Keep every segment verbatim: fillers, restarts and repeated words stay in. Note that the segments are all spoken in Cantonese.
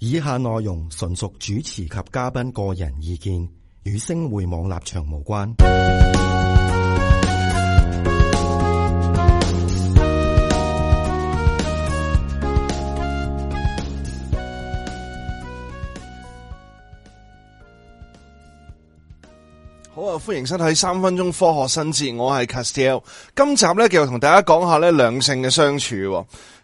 以下內容純屬主持及嘉賓個人意見，與星匯網立場無關。好啊！歡迎收睇三分鐘科學新知，我係 Castiel。今集咧，繼續同大家講下咧兩性嘅相處。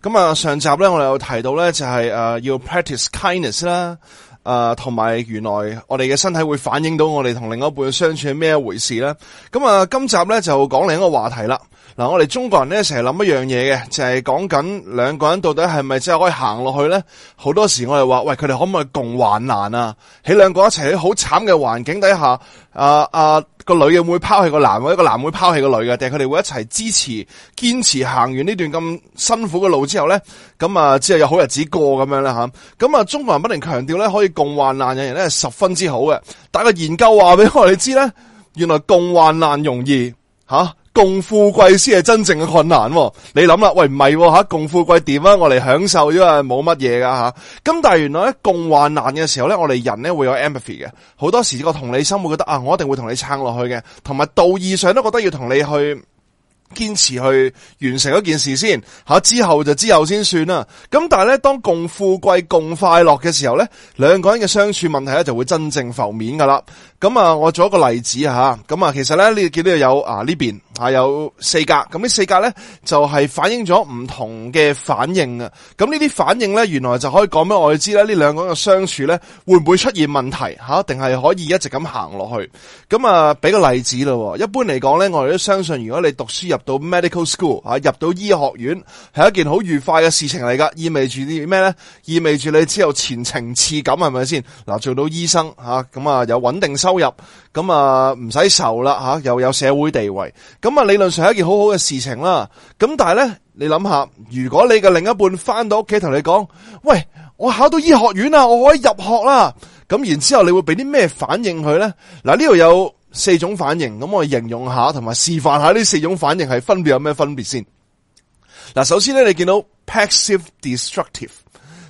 咁啊，上集咧我哋有提到咧就係誒要 practice kindness 啦，誒同埋原來我哋嘅身體會反映到我哋同另一半嘅相處係咩一回事咧。咁啊，今集咧就講另一個話題啦。嗱，我哋中國人咧成日諗一樣嘢嘅，就係講緊兩個人到底係咪真係可以行落去咧？好多時我哋話，喂，佢哋可唔可以共患難啊？喺兩個一齊喺好慘嘅環境底下，啊啊個女嘅會拋棄個男，或者個男會拋棄個女嘅，定係佢哋會一齊支持、堅持行完呢段咁辛苦嘅路之後咧，咁啊之後有好日子過咁樣啦吓。咁啊，中國人不停強調咧可以共患難嘅人咧係十分之好嘅，但係個研究話俾我哋知咧，原來共患難容易吓。啊共富貴先係真正嘅困難，你諗啦，喂唔係吓，共富貴點啊？我哋享受咗啊，冇乜嘢噶吓。咁但係原來咧共患難嘅時候咧，我哋人咧會有 empathy 嘅，好多時個同理心會覺得啊，我一定會同你撐落去嘅，同埋道義上都覺得要同你去堅持去完成一件事先吓，之後就之後先算啦。咁但係咧，當共富貴共快樂嘅時候咧，兩個人嘅相處問題咧就會真正浮面噶啦。咁啊，我做一個例子吓，咁啊，其實咧你見到有啊呢邊啊有四格，咁呢四格咧就係反映咗唔同嘅反應啊。咁呢啲反應咧，原來就可以講俾我哋知咧，呢兩個人嘅相處咧會唔會出現問題吓，定係可以一直咁行落去？咁啊，俾個例子咯。一般嚟講咧，我哋都相信，如果你讀書入到 medical school 啊，入到醫學院係一件好愉快嘅事情嚟噶，意味住啲咩咧？意味住你之後前程似錦，係咪先？嗱，做到醫生吓，咁啊有穩定收入，咁啊唔使愁啦吓，又有社會地位，咁啊理論上係一件好好嘅事情啦。咁但係咧，你諗下，如果你嘅另一半翻到屋企同你講，喂，我考到醫學院啦，我可以入學啦，咁然之後你會俾啲咩反應佢咧？嗱，呢度有四種反應，咁我哋形容下同埋示範下呢四種反應係分別有咩分別先。嗱，首先咧，你見到 passive destructive，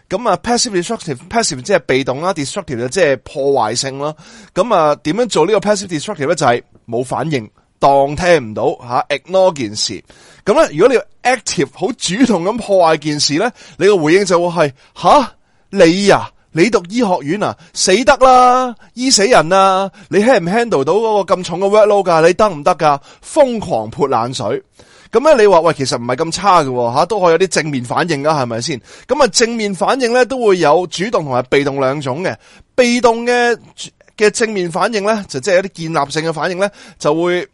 咁啊 passive destructive passive 即係被動啦， destructive 就即係破壞性啦。咁啊點樣做呢個 passive destructive 咧？就係冇反應，當聽唔到吓 ignore 件事。咁咧，如果你要 active 好主動咁破壞件事咧，你個回應就會係吓你呀、啊你讀醫學院啊，死得啦，醫死人啊！你 handle 唔 handle 到嗰個咁重嘅 workload 噶？你得唔得噶？瘋狂潑冷水。咁咧，你話喂，其實唔係咁差嘅吓，都可以有啲正面反應噶，係咪先？咁啊，正面反應咧都會有主動同埋被動兩種嘅。被動嘅嘅正面反應咧，就即係有啲建立性嘅反應咧，就會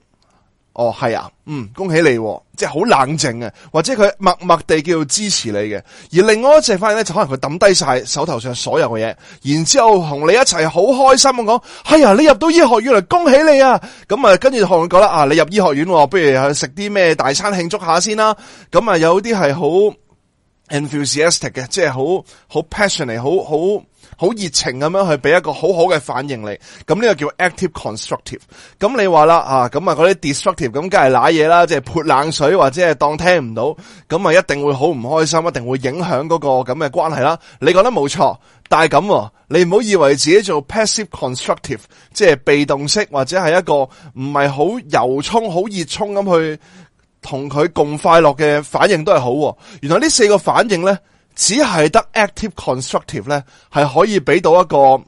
哦係啊，嗯，恭喜你，即係好冷靜嘅，或者佢默默地叫做支持你嘅。而另外一隻反應咧，就可能佢抌低晒手頭上所有嘅嘢，然之後同你一齊好開心咁講，哎呀，你入到醫學院嚟，恭喜你啊！咁啊，跟住同佢講啦，啊，你入醫學院，不如去食啲咩大餐慶祝下先啦。咁啊，有啲係好 enthusiastic 嘅，即係好好 passionate， 好好好熱情咁樣去俾一個好好嘅反應你，咁呢個叫 active constructive。咁你話啦啊，咁啊嗰啲 destructive 咁梗係瀨嘢啦，即係潑冷水或者係當聽唔到，咁啊一定會好唔開心，一定會影響嗰個咁嘅關係啦。你講得冇錯，但係咁你唔好以為自己做 passive constructive， 即係被動式或者係一個唔係好由衷、好熱衷咁去同佢共快樂嘅反應都係好。原來呢四個反應咧，只係得 active constructive 咧，係可以俾到一個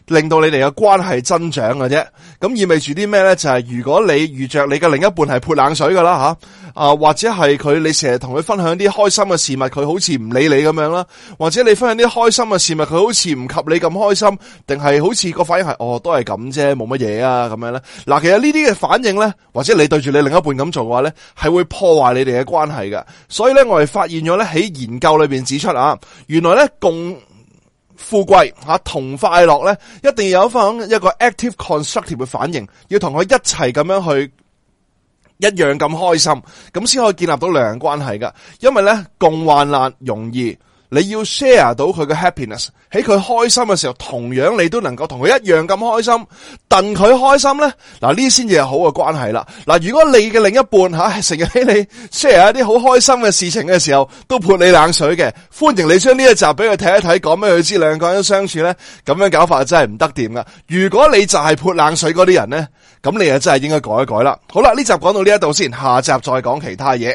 令到你哋嘅關係增長嘅啫。咁意味住啲咩咧？就係、是、如果你遇着你嘅另一半係潑冷水噶啦吓，啊或者係佢你成日同佢分享啲開心嘅事物，佢好似唔理你咁樣啦，或者你分享啲開心嘅事物，佢好似唔及你咁開心，定係好似個反應係哦都係咁啫，冇乜嘢啊咁樣咧。嗱，其實呢啲嘅反應咧，或者你對住你另一半咁做嘅話咧，係會破壞你哋嘅關係嘅。所以咧，我哋發現咗咧喺研究裏邊指出啊，原來咧共富貴吓同快樂咧，一定要有翻一個 active constructive 嘅反應，要同佢一齊咁樣去一樣咁開心，咁先可以建立到良人關係噶。因為咧共患難容易，你要 share 到佢嘅 happiness， 喺佢開心嘅時候，同樣你都能夠同佢一樣咁開心，戥佢開心咧，嗱呢先至係好嘅關係啦。嗱，如果你嘅另一半吓成日喺你 share 一啲好開心嘅事情嘅時候，都潑你冷水嘅，歡迎你將呢一集俾佢睇一睇，講俾佢知兩個人相處咧，咁樣搞法真係唔得掂噶。如果你就係潑冷水嗰啲人咧，咁你啊真係應該改一改啦。好啦，呢集講到呢一度先，下集再講其他嘢。